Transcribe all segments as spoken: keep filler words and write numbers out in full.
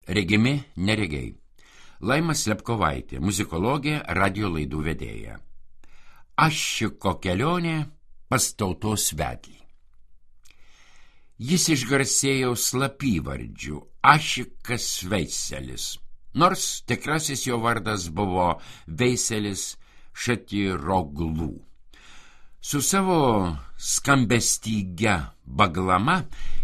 regimi neregiai. Laima Slepkovaitė, muzikologė, radio laidų vedėja. Ašiko kelionė pas tautos vedlį. Jis išgarsėjo slapyvardžiu Ašikas Veiselis, nors tikrasis jo vardas buvo Veiselis Šatiroglu. Su savo skambestygia Baglama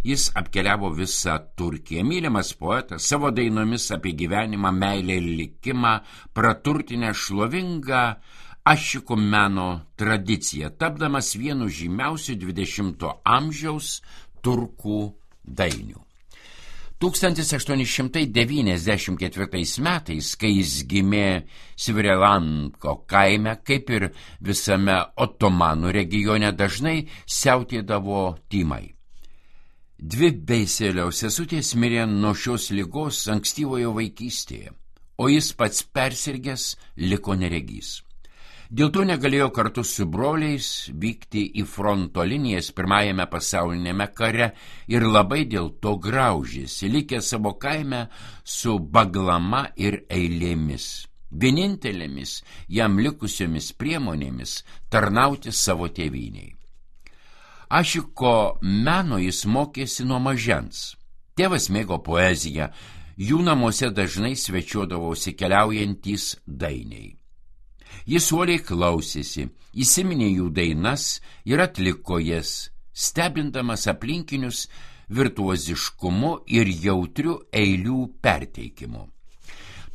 jis apkeliavo visą Turkiją. Mylimas poetas, savo dainomis apie gyvenimą, meilę ir likimą praturtinę šlovingą ašikų meno tradiciją, tapdamas vienu žymiausių dvidešimto amžiaus turkų dainių. tūkstantis aštuoni šimtai devyniasdešimt ketvirtais metais, kai jis gimė Sivrilanko kaime, kaip ir visame Otomanų regione, dažnai siautėdavo tymai. Dvi Veiselio sesutės mirė nuo šios ligos ankstyvojo vaikystėje, o jis pats persirgęs liko neregys. Dėl to negalėjo kartu su broliais vykti į fronto linijas pirmajame pasaulinėme kare ir labai dėl to graužėsi, likę savo kaime su Baglama ir eilėmis, vienintelėmis jam likusiomis priemonėmis tarnauti savo tėvynei. Ašiko meno jis mokėsi nuo mažens. Tėvas mėgo poeziją, jų namuose dažnai svečiuodavosi keliaujantys dainiai. Jis uoliai klausėsi, įsiminė jų dainas ir atliko jas, stebindamas aplinkinius virtuoziškumu ir jautriu eilių perteikimu.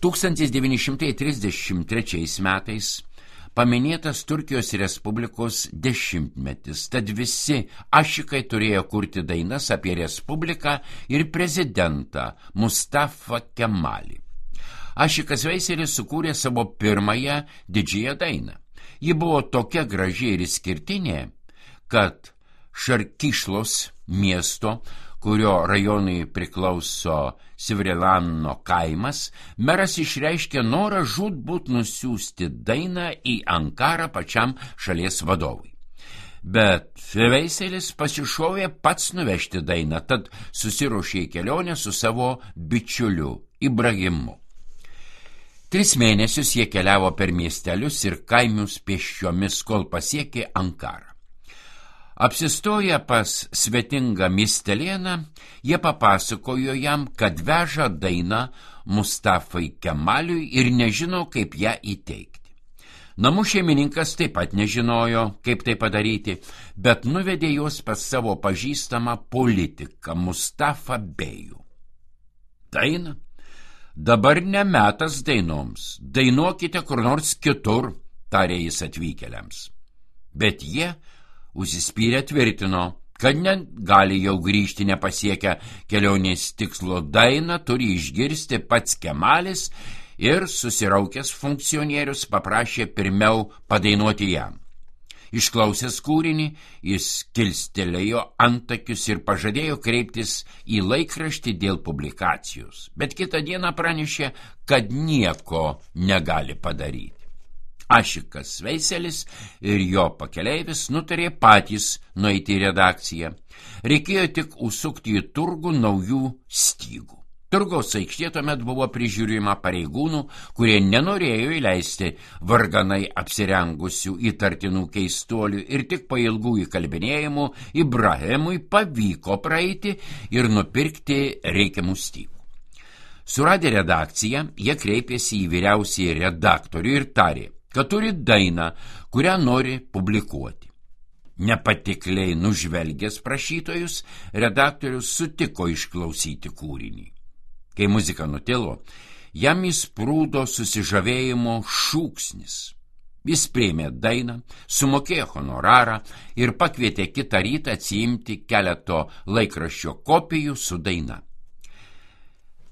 tūkstantis devyni šimtai trisdešimt trečiais metais paminėtas Turkijos Respublikos dešimtmetis, tad visi ašikai turėjo kurti dainas apie Respubliką ir prezidentą Mustafa Kemalį. Ašikas Veiselis sukūrė savo pirmąją didžiąją dainą. Ji buvo tokia graži ir išskirtinė, kad Šarkišlos miesto, kurio rajonui priklauso Sivrilano kaimas, meras išreiškė norą žūtbūt nusiųsti dainą į Ankarą pačiam šalies vadovui. Bet Veiselis pasišovė pats nuvežti dainą, tad susiruošė į kelionę su savo bičiuliu Ibrahimu. Tris mėnesius jie keliavo per miestelius ir kaimius pėsčiomis, kol pasiekė Ankarą. Apsistoję pas svetingą miestelėną, jie papasakojo jam, kad veža dainą Mustafai Kemaliui ir nežino, kaip ją įteikti. Namų šeimininkas taip pat nežinojo, kaip tai padaryti, bet nuvedė juos pas savo pažįstamą politiką Mustafa Bejų. Daina? Dabar ne metas dainoms, dainuokite kur nors kitur, tarė jis atvykėliams. Bet jie užsispyrę tvirtino, kad negali jau grįžti nepasiekę kelionės tikslo, dainą turi išgirsti pats Kemalis ir susiraukęs funkcionierius paprašė pirmiau padainuoti jam. Išklausęs kūrinį, jis kilstelėjo antakius ir pažadėjo kreiptis į laikraštį dėl publikacijos, bet kitą dieną pranešė, kad nieko negali padaryti. Ašikas Veiselis ir jo pakeleivis nutarė patys nueiti į redakciją. Reikėjo tik užsukti į turgų naujų stygų. Turgaus aikštė tuomet buvo prižiūrima pareigūnų, kurie nenorėjo įleisti varganai apsirengusių įtartinų keistuolių ir tik po ilgų įkalbinėjimų Ibrahimui pavyko praeiti ir nupirkti reikiamų stygų. Suradę redakciją, jie kreipėsi į vyriausiąjį redaktorių ir tarė, kad turi dainą, kurią nori publikuoti. Nepatikliai nužvelgęs prašytojus, redaktorius sutiko išklausyti kūrinį. Kai muzika nutilo, jam įsprūdo susižavėjimo šūksnis. Jis priėmė dainą, sumokėjo honorarą ir pakvietė kitą rytą atsiimti keleto laikraščio kopijų su daina.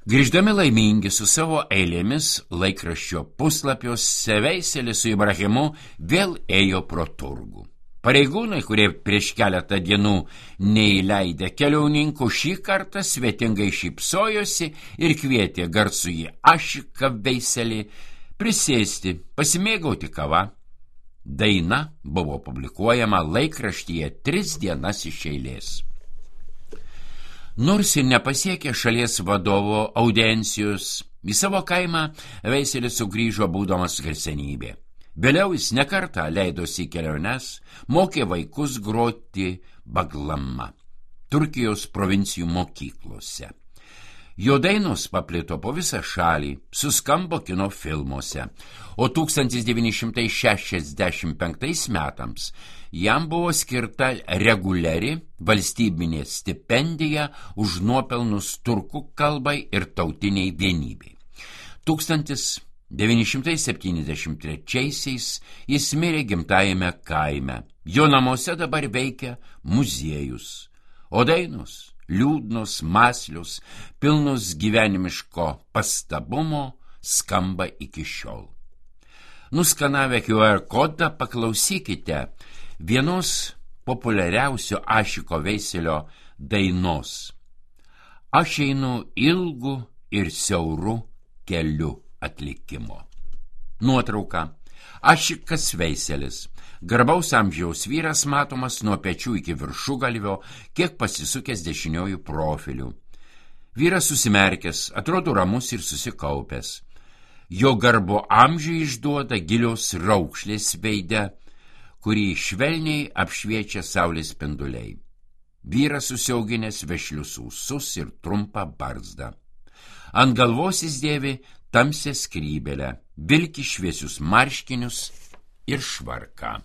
Grįždami laimingi su savo eilėmis laikraščio puslapiuose, Veiselis su Ibrahimu vėl ėjo pro turgų. Pareigūnai, kurie prieš keletą dienų neįleidę keliauninkų, šį kartą svetingai šypsojosi ir kvietė garsųjį Ašiką Veiselį prisėsti, pasimėgauti kava. Daina buvo publikuojama laikraštyje tris dienas iš eilės. Nors ir nepasiekė šalies vadovo audiencijos, į savo kaimą Veiselis sugrįžo būdamas garsenybė. Vėliau jis nekartą leidosi į keliones, mokė vaikus groti baglama Turkijos provincijų mokyklose. Jo dainos paplito po visą šalį, suskambo kino filmuose, o tūkstantis devyni šimtai šešiasdešimt penktais metams jam buvo skirta reguliari valstybinė stipendija už nuopelnus turkų kalbai ir tautiniai vienybei. tūkstantis devyni šimtai septyniasdešimt trečiaisiais jis mirė gimtajame kaime. Jo namuose dabar veikia muziejus, o dainos liūdnos, mąslios, pilnos gyvenimiško pastabumo skamba iki šiol. Nuskanavę Q R kodą paklausykite vienos populiariausio Ašiko Veiselio dainos. Aš einu ilgu ir siauru keliu atlikimo. Nuotrauka. Ašikas Veiselis. Garbaus amžiaus vyras matomas nuo pečių iki viršugalvio, kiek pasisukęs dešiniojų profilių. Vyras susimerkęs, atrodo ramus ir susikaupęs. Jo garbo amžių išduoda gilios raukšlės veide, kurį švelniai apšviečia saulės spinduliai. Vyras susiauginęs vešlius ūsus ir trumpą barzdą. Ant galvos jis dėvi tamsią skrybelę, vilki šviesius marškinius ir švarką.